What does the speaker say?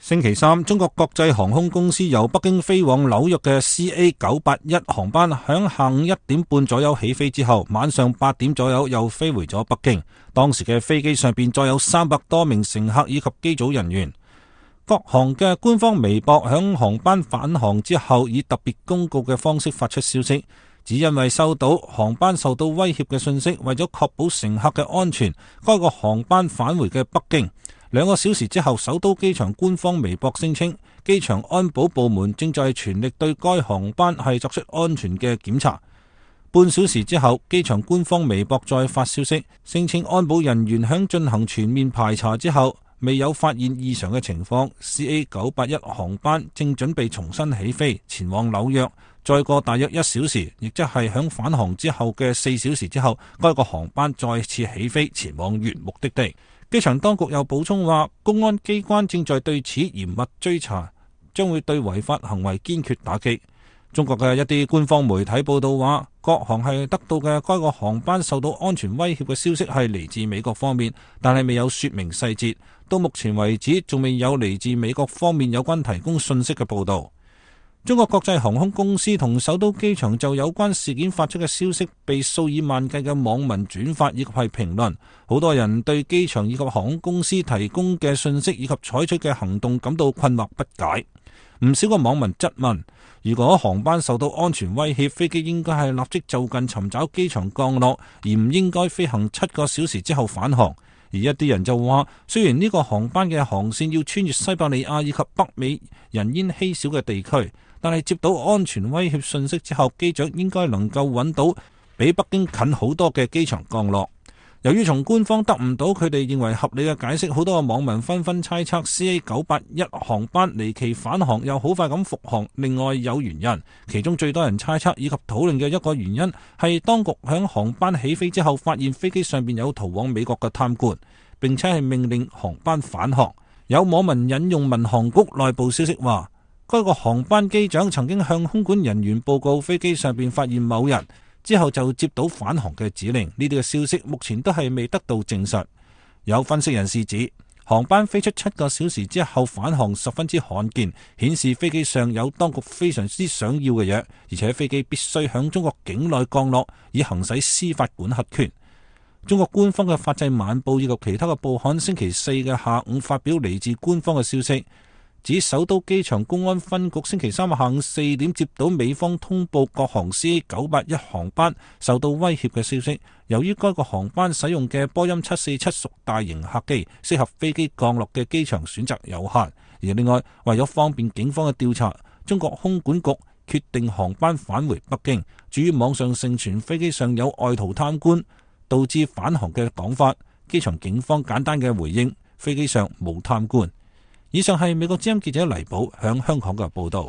星期三，中國國際航空公司由北京飛往紐約嘅 CA981 航班響下午1點半左右起飛之後，晚上8點左右又飛回咗北京。當時嘅飛機上邊載有300多名乘客以及機組人員。國航嘅官方微博響航班返航之後，以特別公告嘅方式發出消息，只因為收到航班受到威脅嘅信息，為咗確保乘客嘅安全，該個航班返回嘅北京。2個小時之後，首都機場官方微博聲稱，機場安保部門正在全力對該航班係作出安全嘅檢查。半小時之後，機場官方微博再發消息，聲稱安保人員響進行全面排查之後，未有發現異常嘅情況。CA981 航班正準備重新起飛，前往紐約。再過大約1小時，亦即係響返航之後嘅4小時之後，該個航班再次起飛，前往原目的地。機場當局又補充話，公安機關正在對此嚴密追查，將會對違法行為堅決打擊。中國嘅一啲官方媒體報道話，國航係得到嘅該個航班受到安全威脅嘅消息係嚟自美國方面，但係未有說明細節。到目前為止，仲未有嚟自美國方面有關提供信息嘅報道。中國國際航空公司同首都機場就有關事件發出嘅消息被數以萬計嘅網民轉發以及係評論，好多人對機場以及航空公司提供嘅信息以及採取嘅行動感到困惑不解。唔少個網民質問，如果航班受到安全威脅，飛機應該係立即就近尋找機場降落，而唔應該飛行7個小時之後返航。而一啲人就話，雖然呢個航班嘅航線要穿越西伯利亞以及北美人煙稀少嘅地區，但係接到安全威脅信息之後，機長應該能夠揾到比北京近好多嘅機場降落。由於從官方得唔到佢哋認為合理嘅解釋，好多嘅網民紛紛猜測 CA981 航班離奇返航又好快咁復航，另外有原因。其中最多人猜測以及討論嘅一個原因係當局響航班起飛之後發現飛機上邊有逃往美國嘅貪官，並且係命令航班返航。有網民引用民航局內部消息話，該個航班機長曾經向空管人員報告飛機上邊發現某人，之後就接到返航嘅指令。呢啲嘅消息目前都係未得到證實。有分析人士指，航班飛出7個小時之後返航十分之罕見，顯示飛機上有當局非常之想要嘅嘢，而且飛機必須響中國境內降落，以行使司法管轄權。中國官方嘅法制晚報以及其他嘅報刊星期4嘅下午發表嚟自官方嘅消息，指首都機場公安分局星期3下午4點接到美方通報國航 CA981 航班受到威脅嘅消息。由於該個航班使用嘅波音747屬大型客機，適合飛機降落嘅機場選擇有限。而另外，為咗方便警方嘅調查，中國空管局決定航班返回北京。至於網上盛傳飛機上有外逃貪官導致返航嘅講法，機場警方簡單嘅回應，飛機上冇貪官。以上係美國之音記者黎寶響香港嘅報道。